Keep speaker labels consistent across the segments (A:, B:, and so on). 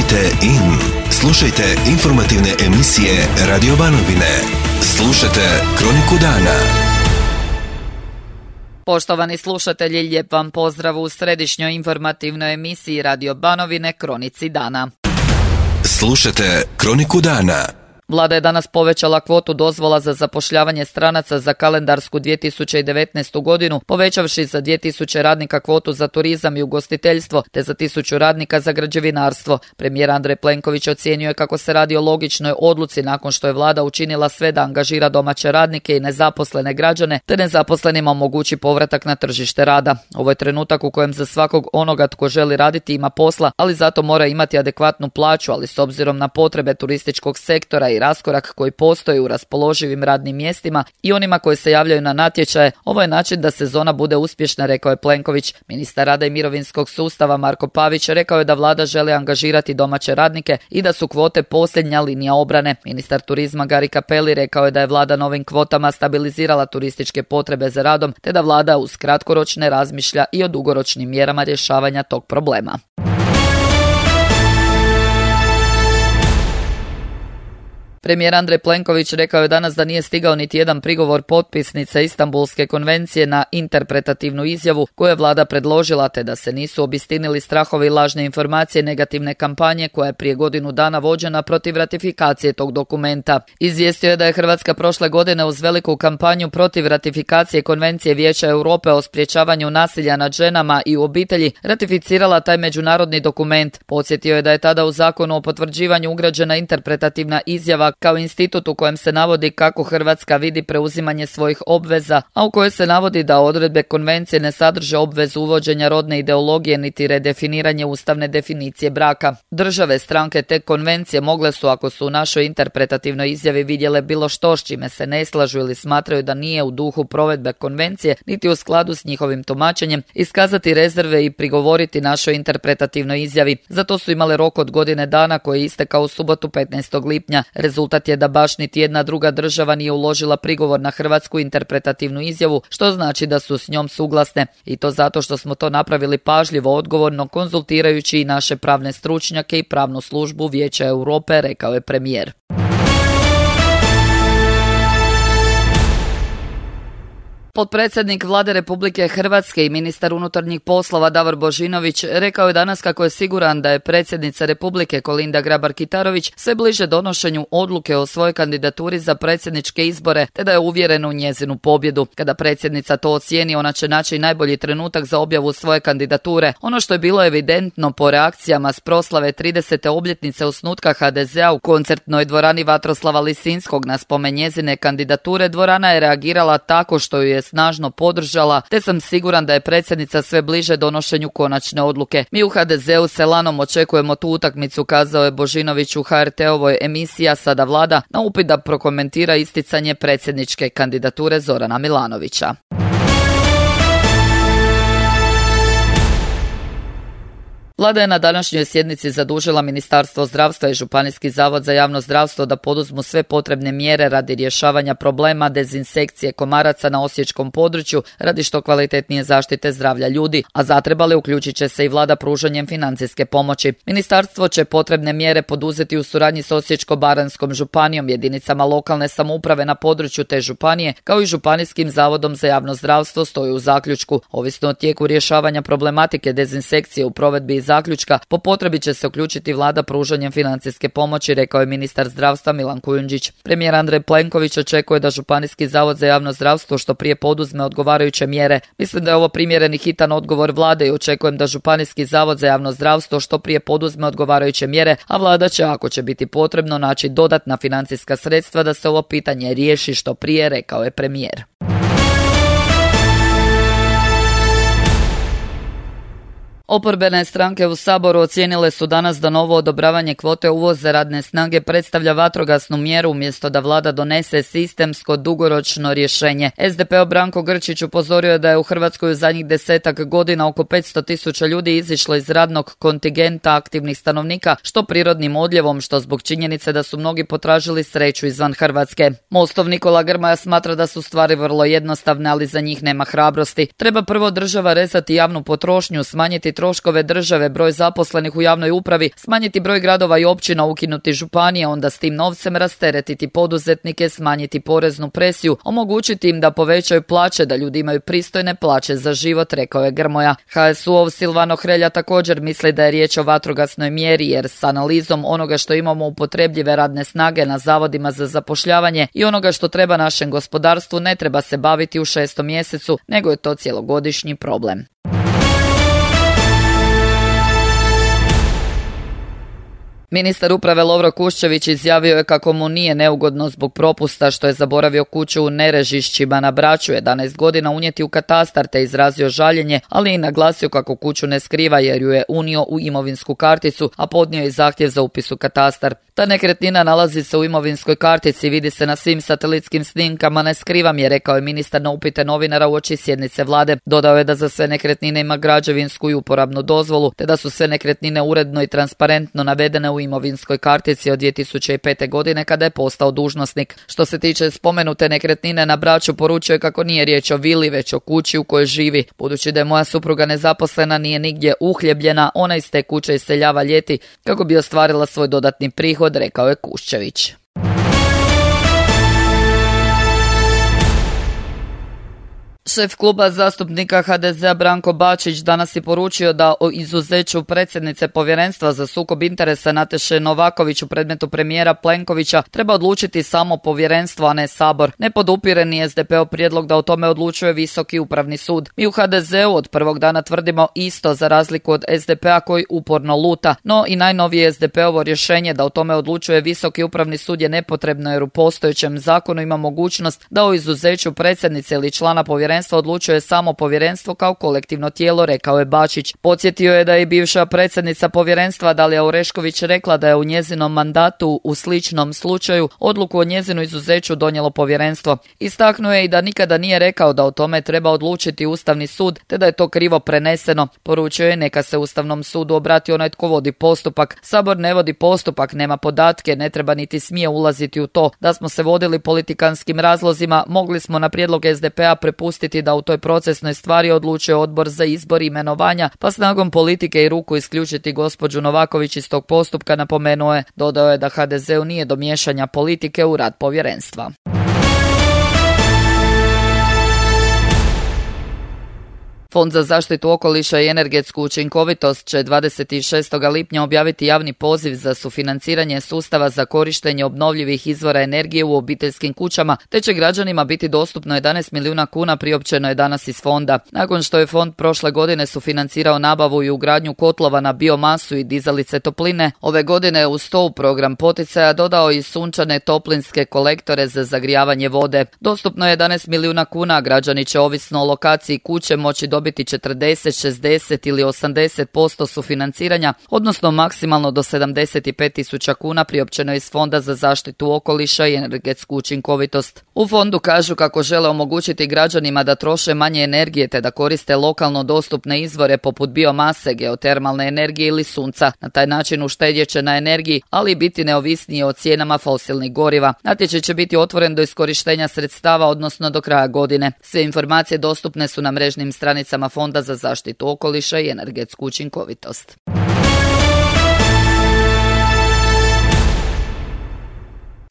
A: Kliknite in. Slušajte informativne emisije Radio Banovine. Slušajte Kroniku dana.
B: Poštovani slušatelji, lijep vam pozdrav u središnjoj informativnoj emisiji Radio Banovine Kronici dana.
A: Slušajte Kroniku dana.
B: Vlada je danas povećala kvotu dozvola za zapošljavanje stranaca za kalendarsku 2019. godinu, povećavši za 2000 radnika kvotu za turizam i ugostiteljstvo, te za 1000 radnika za građevinarstvo. Premijer Andrej Plenković ocijenio je kako se radi o logičnoj odluci nakon što je vlada učinila sve da angažira domaće radnike i nezaposlene građane, te nezaposlenima omogući povratak na tržište rada. Ovo je trenutak u kojem za svakog onoga tko želi raditi ima posla, ali zato mora imati adekvatnu plaću, ali s obzirom na potrebe turističkog sektora i raskorak koji postoji u raspoloživim radnim mjestima i onima koji se javljaju na natječaje, ovo je način da sezona bude uspješna, rekao je Plenković. Ministar rada i mirovinskog sustava Marko Pavić rekao je da vlada želi angažirati domaće radnike i da su kvote posljednja linija obrane. Ministar turizma Gari Cappelli rekao je da je vlada novim kvotama stabilizirala turističke potrebe za radom, te da vlada uz kratkoročne razmišlja i o dugoročnim mjerama rješavanja tog problema. Premijer Andrej Plenković rekao je danas da nije stigao niti jedan prigovor potpisnica Istanbulske konvencije na interpretativnu izjavu koju je vlada predložila, te da se nisu obistinili strahovi i lažne informacije negativne kampanje koja je prije godinu dana vođena protiv ratifikacije tog dokumenta. Izvijestio je da je Hrvatska prošle godine uz veliku kampanju protiv ratifikacije Konvencije Vijeća Europe o sprječavanju nasilja nad ženama i u obitelji ratificirala taj međunarodni dokument. Podsjetio je da je tada u zakonu o potvrđivanju ugrađena interpretativna izjava kao institut u kojem se navodi kako Hrvatska vidi preuzimanje svojih obveza, a u kojoj se navodi da odredbe konvencije ne sadrže obvezu uvođenja rodne ideologije niti redefiniranje ustavne definicije braka. Države stranke te konvencije mogle su, ako su u našoj interpretativnoj izjavi vidjele bilo što s čime se ne slažu ili smatraju da nije u duhu provedbe konvencije niti u skladu s njihovim tumačenjem, iskazati rezerve i prigovoriti našoj interpretativnoj izjavi. Zato su imale rok od godine dana koji je istekao u subotu 15. lipnja. Rezultat je da baš niti jedna druga država nije uložila prigovor na hrvatsku interpretativnu izjavu, što znači da su s njom suglasne. I to zato što smo to napravili pažljivo, odgovorno, konzultirajući i naše pravne stručnjake i pravnu službu Vijeća Europe, rekao je premijer. Potpredsjednik Vlade Republike Hrvatske i ministar unutarnjih poslova Davor Božinović rekao je danas kako je siguran da je predsjednica Republike Kolinda Grabar-Kitarović sve bliže donošenju odluke o svojoj kandidaturi za predsjedničke izbore, te da je uvjeren u njezinu pobjedu. Kada predsjednica to ocijeni, ona će naći najbolji trenutak za objavu svoje kandidature. Ono što je bilo evidentno po reakcijama s proslave 30. obljetnice osnutka HDZ-a u koncertnoj dvorani Vatroslava Lisinskog na spomen njezine kandidature, dvorana je reagirala tako što ju je snažno podržala, te sam siguran da je predsjednica sve bliže donošenju konačne odluke. Mi u HDZ-u s elanom očekujemo tu utakmicu, kazao je Božinović u HRT-ovoj emisiji Sada Vlada na upit da prokomentira isticanje predsjedničke kandidature Zorana Milanovića. Vlada je na današnjoj sjednici zadužila Ministarstvo zdravstva i Županijski zavod za javno zdravstvo da poduzmu sve potrebne mjere radi rješavanja problema dezinsekcije komaraca na osječkom području radi što kvalitetnije zaštite zdravlja ljudi, a zatrebali uključit će se i vlada pružanjem financijske pomoći. Ministarstvo će potrebne mjere poduzeti u suradnji s Osječko-baranjskom županijom, jedinicama lokalne samouprave na području te županije, kao i Županijskim zavodom za javno zdravstvo, stoji u zaključku. Ovisno o tijeku rješavanja problematike dezinsekcije u provedbi zaključka, po potrebi će se uključiti vlada pružanjem financijske pomoći, rekao je ministar zdravstva Milan Kujundžić. Premijer Andrej Plenković očekuje da Županijski zavod za javno zdravstvo što prije poduzme odgovarajuće mjere. Mislim da je ovo primjeren i hitan odgovor vlade i očekujem da Županijski zavod za javno zdravstvo što prije poduzme odgovarajuće mjere, a vlada će, ako će biti potrebno, naći dodatna financijska sredstva da se ovo pitanje riješi što prije, rekao je premijer. Oporbene stranke u Saboru ocijenile su danas da novo odobravanje kvote uvoza radne snage predstavlja vatrogasnu mjeru umjesto da vlada donese sistemsko dugoročno rješenje. SDP-ov Branko Grčić upozorio je da je u Hrvatskoj u zadnjih 10 godina oko 500.000 ljudi izišlo iz radnog kontingenta aktivnih stanovnika, što prirodnim odljevom, što zbog činjenice da su mnogi potražili sreću izvan Hrvatske. Mostov Nikola Grmoja smatra da su stvari vrlo jednostavne, ali za njih nema hrabrosti. Treba prvo država rezati javnu potrošnju, smanjiti troškove države, broj zaposlenih u javnoj upravi, smanjiti broj gradova i općina, ukinuti županije, onda s tim novcem rasteretiti poduzetnike, smanjiti poreznu presiju, omogućiti im da povećaju plaće, da ljudi imaju pristojne plaće za život, rekao je Grmoja. HSU-ov Silvano Hrelja također misli da je riječ o vatrogasnoj mjeri, jer s analizom onoga što imamo upotrebljive radne snage na zavodima za zapošljavanje i onoga što treba našem gospodarstvu ne treba se baviti u 6. mjesecu, nego je to cjelogodišnji problem. Ministar uprave Lovro Kuščević izjavio je kako mu nije neugodno zbog propusta što je zaboravio kuću u Nerežišćima na Braču 11 godina unijeti u katastar, te izrazio žaljenje, ali i naglasio kako kuću ne skriva jer ju je unio u imovinsku karticu, a podnio je zahtjev za upis u katastar. Ta nekretnina nalazi se u imovinskoj kartici, vidi se na svim satelitskim snimkama, ne skrivam je, rekao je ministar na upite novinara uoči sjednice vlade. Dodao je da za sve nekretnine ima građevinsku i uporabnu dozvolu, te da su sve nekretnine uredno i transparentno navedene u imovinskoj kartici od 2005. godine kada je postao dužnosnik. Što se tiče spomenute nekretnine na Braču, poručio je kako nije riječ o vili, već o kući u kojoj živi. Budući da je moja supruga nezaposlena, nije nigdje uhljebljena, ona iz te kuće iseljava ljeti kako bi ostvarila svoj dodatni prihod, rekao je Kuščević. Šef kluba zastupnika HDZ-a Branko Bačić danas je poručio da o izuzeću predsjednice Povjerenstva za sukob interesa Nataše Novaković u predmetu premijera Plenkovića treba odlučiti samo povjerenstvo, a ne Sabor. Ne podupire ni SDP-ov prijedlog da o tome odlučuje Visoki upravni sud. Mi u HDZ-u od prvog dana tvrdimo isto, za razliku od SDP-a koji uporno luta. No i najnovije SDP-ovo rješenje da o tome odlučuje Visoki upravni sud je nepotrebno, jer u postojećem zakonu ima mogućnost da o izuzeću predsjednice ili člana povjerenstva odlučuje samo povjerenstvo kao kolektivno tijelo, rekao je Bačić. Podsjetio je da je bivša predsjednica povjerenstva Dalija Orešković rekla da je u njezinom mandatu u sličnom slučaju odluku o njezinu izuzeću donijelo povjerenstvo. Istaknuo je i da nikada nije rekao da o tome treba odlučiti Ustavni sud, te da je to krivo preneseno. Poručio je neka se Ustavnom sudu obrati onaj tko vodi postupak. Sabor ne vodi postupak, nema podatke, ne treba niti smije ulaziti u to. Da smo se vodili politikanskim razlozima, mogli smo na prijedlog SDP-a prepustiti da u toj procesnoj stvari odlučuje odbor za izbor i imenovanja, pa snagom politike i ruku isključiti gospođu Novaković iz tog postupka, napomenuo je. Dodao je da HDZ-u nije do miješanja politike u rad povjerenstva. Fond za zaštitu okoliša i energetsku učinkovitost će 26. lipnja objaviti javni poziv za sufinanciranje sustava za korištenje obnovljivih izvora energije u obiteljskim kućama, te će građanima biti dostupno 11 milijuna kuna, priopćeno je danas iz fonda. Nakon što je fond prošle godine sufinancirao nabavu i ugradnju kotlova na biomasu i dizalice topline, ove godine je uz to u program poticaja dodao i sunčane toplinske kolektore za zagrijavanje vode. Dostupno je 11 milijuna kuna, građani će ovisno o lokaciji kuće moći dobiti 40, 60 ili 80% sufinanciranja, odnosno maksimalno do 75.000 kuna, priopćeno iz Fonda za zaštitu okoliša i energetsku učinkovitost. U fondu kažu kako žele omogućiti građanima da troše manje energije te da koriste lokalno dostupne izvore poput biomase, geotermalne energije ili sunca. Na taj način uštedjet će na energiji, ali i biti neovisnije o cijenama fosilnih goriva. Natječaj će biti otvoren do iskorištenja sredstava, odnosno do kraja godine. Sve informacije dostupne su na mrežnim stranicama Fonda za zaštitu okoliša i energetsku učinkovitost.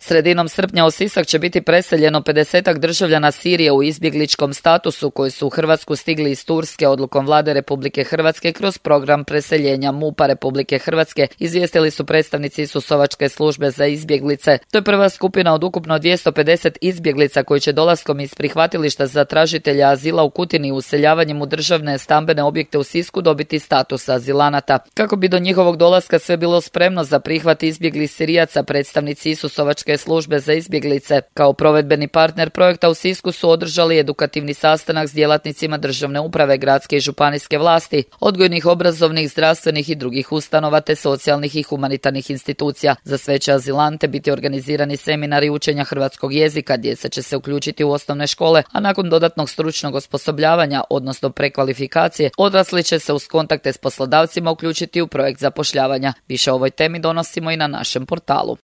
B: Sredinom srpnja u Sisak će biti preseljeno 50 državljana Sirije u izbjegličkom statusu koji su u Hrvatsku stigli iz Turske odlukom vlade Republike Hrvatske kroz program preseljenja MUP-a Republike Hrvatske, izvijestili su predstavnici Isusovačke službe za izbjeglice. To je prva skupina od ukupno 250 izbjeglica koji će dolaskom iz prihvatilišta za tražitelja azila u Kutini i useljavanjem u državne stambene objekte u Sisku dobiti status azilanata. Kako bi do njihovog dolaska sve bilo spremno za prihvat izbjeglih Sirijaca, predstavnici Isusovačke službe za izbjeglice kao provedbeni partner projekta u Sisku su održali edukativni sastanak s djelatnicima državne uprave, gradske i županijske vlasti, odgojnih, obrazovnih, zdravstvenih i drugih ustanova te socijalnih i humanitarnih institucija. Za sve će azilante biti organizirani seminari učenja hrvatskog jezika, djeca će se uključiti u osnovne škole, a nakon dodatnog stručnog osposobljavanja, odnosno prekvalifikacije, odrasli će se uz kontakte s poslodavcima uključiti u projekt zapošljavanja. Više o ovoj temi donosimo i na našem portalu.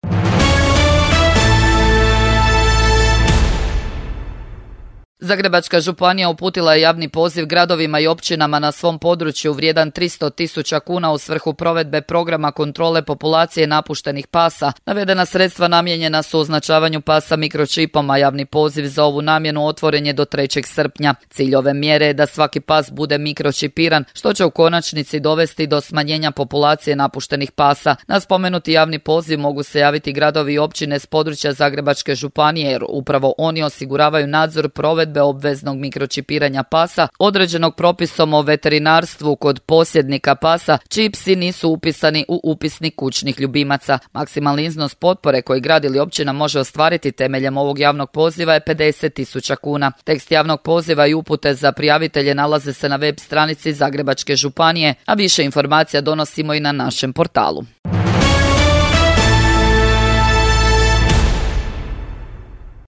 B: Zagrebačka županija uputila je javni poziv gradovima i općinama na svom području vrijedan 300.000 kuna u svrhu provedbe programa kontrole populacije napuštenih pasa. Navedena sredstva namijenjena su označavanju pasa mikročipom, a javni poziv za ovu namjenu otvoren je do 3. srpnja. Cilj ove mjere je da svaki pas bude mikročipiran, što će u konačnici dovesti do smanjenja populacije napuštenih pasa. Na spomenuti javni poziv mogu se javiti gradovi i općine s područja Zagrebačke županije, jer upravo oni osiguravaju nadzor provedbe obveznog mikročipiranja pasa određenog propisom o veterinarstvu kod posjednika pasa čiji psi nisu upisani u upisnik kućnih ljubimaca. Maksimalni iznos potpore koji grad ili općina može ostvariti temeljem ovog javnog poziva je 50.000 kuna. Tekst javnog poziva i upute za prijavitelje nalaze se na web stranici Zagrebačke županije, a više informacija donosimo i na našem portalu.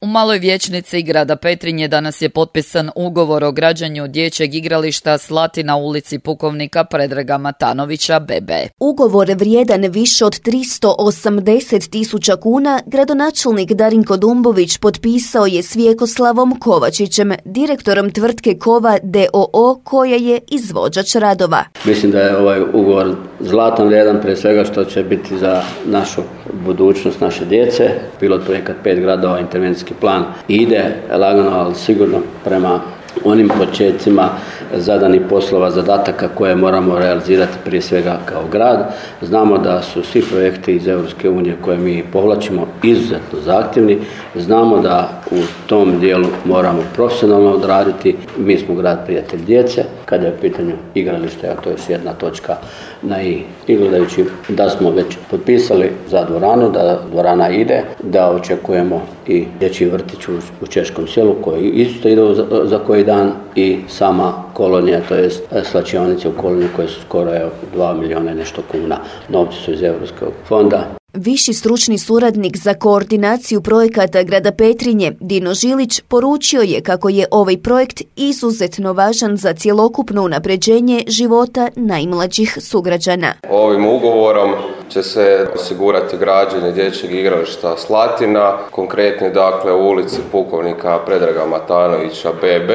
B: U Maloj vijećnici grada Petrinje danas je potpisan ugovor o građenju dječjeg igrališta Slatina u ulici Pukovnika Predraga Matanovića BB.
C: Ugovor vrijedan više od 380.000 kuna gradonačelnik Darinko Dumbović potpisao je s Vjekoslavom Kovačićem, direktorom tvrtke Kova d.o.o. koja je izvođač radova.
D: Mislim da je ovaj ugovor zlatan vrijedan, prije svega što će biti za našu budućnost naše djece. Pilot projekat 5 gradova, intervencijski plan ide lagano, ali sigurno prema onim početcima zadanih poslova, zadataka koje moramo realizirati prije svega kao grad. Znamo da su svi projekti iz Europske unije koje mi povlačimo izuzetno zahtjevni. Znamo da u tom dijelu moramo profesionalno odraditi. Mi smo grad prijatelj djece kada je u pitanju igralište, a to je jedna točka na i gledajući da smo već potpisali za dvoranu, da dvorana ide, da očekujemo i dječji vrtić u Češkom selu koji isto ide za koji dan i sama kolonija, to jest slačionice u koloniji koje su skoro 2 milijuna i nešto kuna. Novci su iz Europskog fonda.
C: Viši stručni suradnik za koordinaciju projekata grada Petrinje, Dino Žilić, poručio je kako je ovaj projekt izuzetno važan za cjelokupno unapređenje života najmlađih sugrađana.
E: Ovim ugovorom će se osigurati građenje dječjeg igrališta Slatina, konkretno dakle u ulici Pukovnika Predraga Matanovića BB,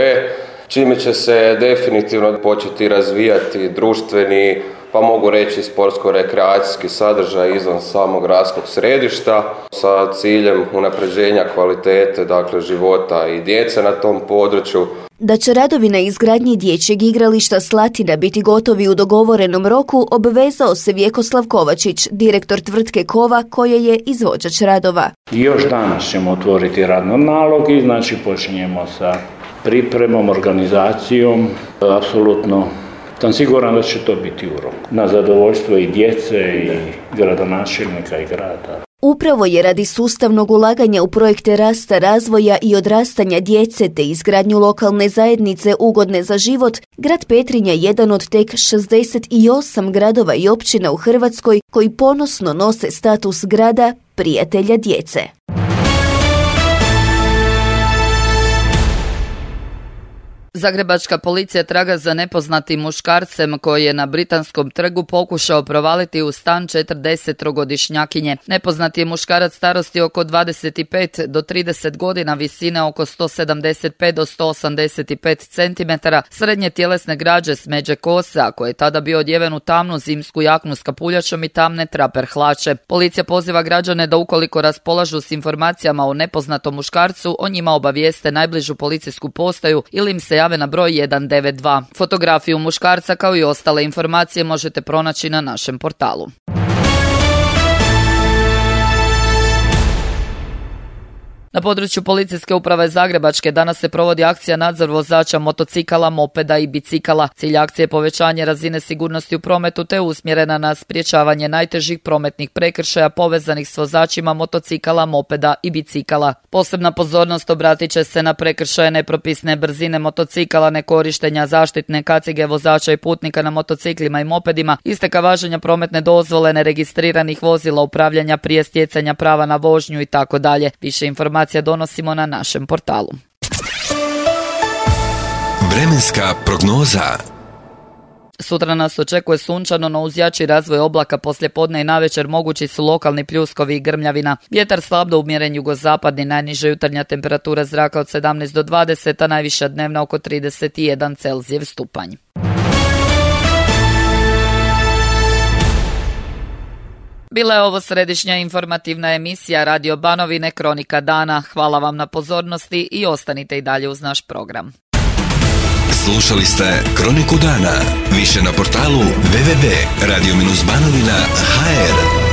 E: čime će se definitivno početi razvijati društveni, pa mogu reći sportsko-rekreacijski sadržaj izvan samog gradskog središta sa ciljem unapređenja kvalitete dakle života i djece na tom području.
C: Da će radovi na izgradnji dječjeg igrališta Slatina biti gotovi u dogovorenom roku, obvezao se Vjekoslav Kovačić, direktor tvrtke Kova koja je izvođač radova.
F: Još danas ćemo otvoriti radni nalog i znači počinjemo sa pripremom, organizacijom, apsolutno sam siguran da će to biti u roku. Na zadovoljstvo i djece i gradonačelnika i grada.
C: Upravo je radi sustavnog ulaganja u projekte rasta, razvoja i odrastanja djece te izgradnju lokalne zajednice ugodne za život, grad Petrinja je jedan od tek 68 gradova i općina u Hrvatskoj koji ponosno nose status grada prijatelja djece.
B: Zagrebačka policija traga za nepoznatim muškarcem koji je na Britanskom trgu pokušao provaliti u stan 40-godišnjakinje. Nepoznati je muškarac starosti oko 25 do 30 godina, visine oko 175 do 185 cm, srednje tjelesne građe, smeđe kose, a koji je tada bio odjeven u tamnu zimsku jaknu s kapuljačom i tamne traper hlače. Policija poziva građane da ukoliko raspolažu s informacijama o nepoznatom muškarcu, o njima obavijeste najbližu policijsku postaju ili im se jave na broj 192. Fotografiju muškarca kao i ostale informacije možete pronaći na našem portalu. Na području Policijske uprave Zagrebačke danas se provodi akcija nadzor vozača motocikala, mopeda i bicikala. Cilj akcije je povećanje razine sigurnosti u prometu te usmjerena na sprječavanje najtežih prometnih prekršaja povezanih s vozačima motocikala, mopeda i bicikala. Posebna pozornost obratit će se na prekršaje nepropisne brzine motocikala, nekorištenja zaštitne kacige vozača i putnika na motociklima i mopedima, isteka važenja prometne dozvole, neregistriranih vozila, upravljanja prije stjecanja prava na vožnju i tako dalje. Više informacija donosimo na našem portalu.
A: Vremenska prognoza.
B: Sutra nas očekuje sunčano, no uz jači razvoj oblaka poslijepodne i navečer mogući su lokalni pljuskovi i grmljavina. Vjetar slab do umjeren jugozapadni, najniža jutarnja temperatura zraka od 17 do 20, a najviša dnevna oko 31 Celzijev stupanj. Bila je ovo središnja informativna emisija Radio Banovine Kronika dana. Hvala vam na pozornosti i ostanite i dalje uz naš program.
A: Slušali ste Kroniku dana. Više na portalu www.radio-banovina.hr.